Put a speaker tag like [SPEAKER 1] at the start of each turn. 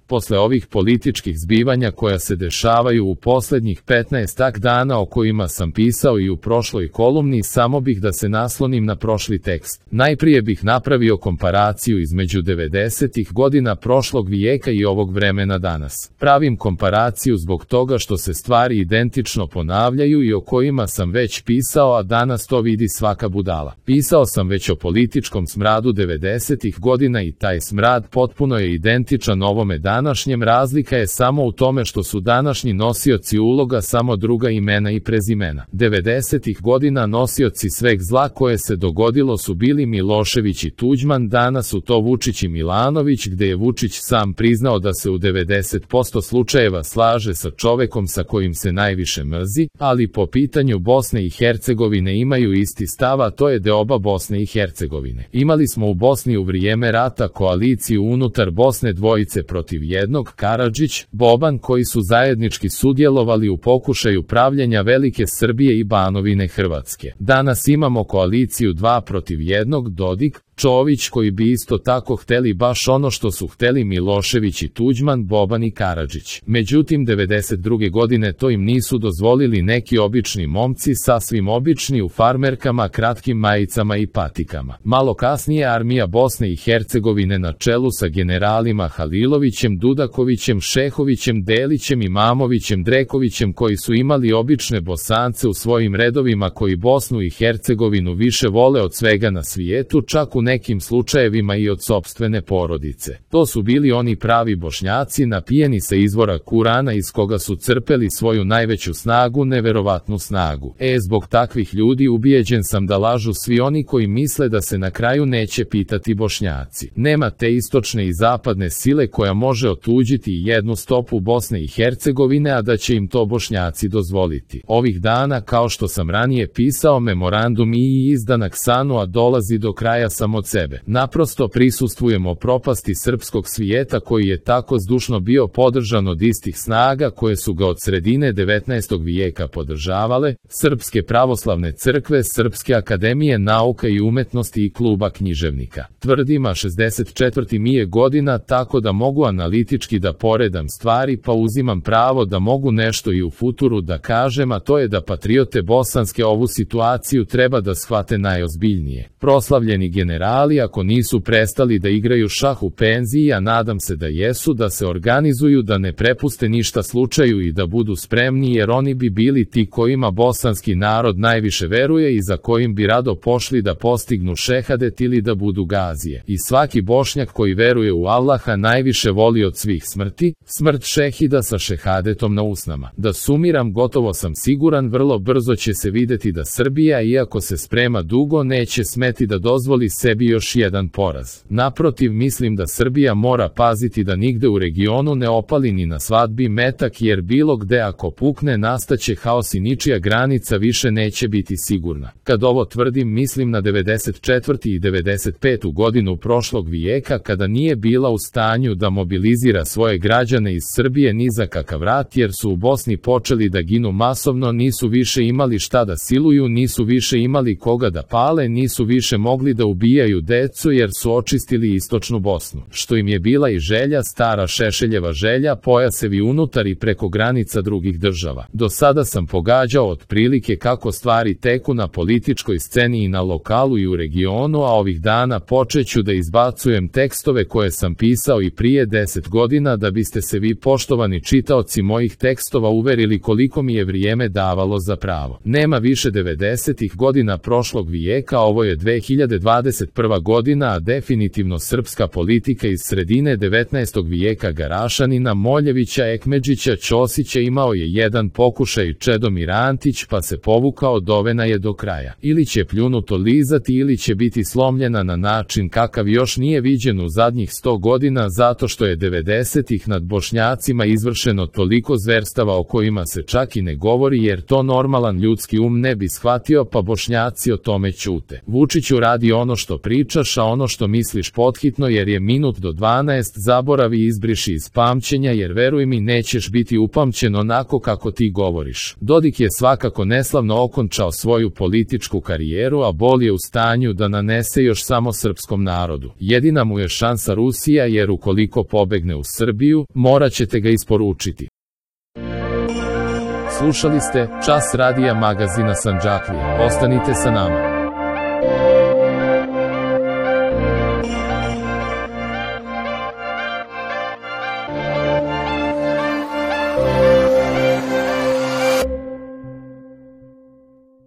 [SPEAKER 1] Posle ovih političkih zbivanja koja se dešavaju u poslednjih 15 dana o kojima sam pisao i u prošloj kolumni, samo bih da se naslonim na prošli tekst. Najprije bih napravio komparaciju između 90-ih godina prošlog vijeka i ovog vremena danas. Pravim komparaciju zbog toga što se stvari identično ponavljaju i o kojima sam već pisao, a danas to vidi svaka budala. Pisao sam već o političkom smradu 90-ih godina i taj smrad potpuno je identičan ovome današnjem, razlika je samo u tome što su današnji nosioci uloga samo druga imena i prezimena. 90-ih godina nosioci sveg zla koje se dogodilo su bili Milošević i Tuđman, danas su to Vučić i Milanović, gde je Vučić sam priznao da se u 90% slučajeva slaže sa čovekom sa kojim se najviše mrzi, ali po pitanju Bosne i Hercegovine imaju isti stav, a to je deoba Bosne i Hercegovine. Imali smo u Bosni u vrijeme rata koaliciju unutar Bosne dvojice protiv jednog, Karadžić, Boban, koji su zajednički sudjelovali u pokušaju pravljenja Velike Srbije i Banovine Hrvatske. Danas imamo koaliciju 2 protiv 1, Dodik, Čović, koji bi isto tako hteli baš ono što su hteli Milošević i Tuđman, Boban i Karadžić. Međutim, 92. godine to im nisu dozvolili neki obični momci, sasvim obični u farmerkama, kratkim majicama i patikama. Malo kasnije armija Bosne i Hercegovine na čelu sa generalima Halilovićem, Dudakovićem, Šehovićem, Delićem, Imamovićem, Drekovićem, koji su imali obične Bosance u svojim redovima, koji Bosnu i Hercegovinu više vole od svega na svijetu, čak u nekim slučajevima i od sopstvene porodice. To su bili oni pravi Bošnjaci, napijeni sa izvora Kurana iz koga su crpeli svoju najveću snagu, neverovatnu snagu. Zbog takvih ljudi ubijeđen sam da lažu svi oni koji misle da se na kraju neće pitati Bošnjaci. Nema te istočne i zapadne sile koja može otuđiti jednu stopu Bosne i Hercegovine, a da će im to Bošnjaci dozvoliti. Ovih dana, kao što sam ranije pisao, memorandum i izdanak SANU-a dolazi do kraja samo od sebe. Naprosto prisustvujemo propasti srpskog svijeta koji je tako zdušno bio podržan od istih snaga koje su ga od sredine 19. vijeka podržavale, Srpske pravoslavne crkve, Srpske akademije nauka i umetnosti i kluba književnika. Tvrdim, a 64. mi je godina, tako da mogu analitički da poredam stvari, pa uzimam pravo da mogu nešto i u futuru da kažem, a to je da patriote bosanske ovu situaciju treba da shvate najozbiljnije. Proslavljeni generali, ako nisu prestali da igraju šah u penziji, a nadam se da jesu, da se organizuju, da ne prepuste ništa slučaju i da budu spremni, jer oni bi bili ti kojima bosanski narod najviše veruje i za kojim bi rado pošli da postignu šehadet ili da budu gazije. I svaki Bošnjak koji veruje u Allaha najviše voli od svih smrti, smrt šehida sa šehadetom na usnama. Da sumiram, gotovo sam siguran, vrlo brzo će se videti da Srbija, iako se sprema dugo, neće smeti da dozvoli sebi još jedan poraz. Naprotiv, mislim da Srbija mora paziti da nigde u regionu ne opali ni na svadbi metak, jer bilo gde ako pukne nastaće haos i ničija granica više neće biti sigurna. Kad ovo tvrdim, mislim na 94. i 95. godinu prošlog vijeka, kada nije bila u stanju da mobilizira svoje građane iz Srbije ni za kakav rat, jer su u Bosni počeli da ginu masovno, nisu više imali šta da siluju, nisu više imali koga da pale, nisu više mogli da ubijaju decu jer su očistili istočnu Bosnu. Što im je bila i želja, stara Šešeljeva želja, pojasevi unutar i preko granica drugih država. Do sada sam pogađao otprilike kako stvari teku na političkoj sceni i na lokalu i u regionu, a ovih dana počeću da izbacujem tekstove koje sam pisao i prije 10 godina, da biste se vi, poštovani čitaoci mojih tekstova, uverili koliko mi je vrijeme davalo za pravo. Nema više 90-ih godina prošlog vijeka, ovo je 2021. godina, a definitivno srpska politika iz sredine 19. vijeka Garašanina, Moljevića, Ekmedžića, Ćosića imao je jedan pokušaj Čedomir Antić, pa se povukao, dovena je do kraja. Ili će pljunuto lizati ili će biti slomljena na način kakav još nije viđen u zadnjih 100 godina, zato što je 90-ih nad Bošnjacima izvršeno toliko zverstava o kojima se čak i ne govori, jer to normalan ljudski um ne bi shvatio, pa Bošnjaci o tome ćute. Vučiću radi ono što što pričaš, a ono što misliš pothitno, jer je minut do 12, zaboravi i izbriši iz pamćenja, jer veruj mi, nećeš biti upamćen onako kako ti govoriš. Dodik je svakako neslavno okončao svoju političku karijeru, a Bol je u stanju da nanese još samo srpskom narodu. Jedina mu je šansa Rusija, jer ukoliko pobegne u Srbiju, morat ćete ga isporučiti. Slušali ste Čas radija magazina Sandžaklija. Ostanite sa nama.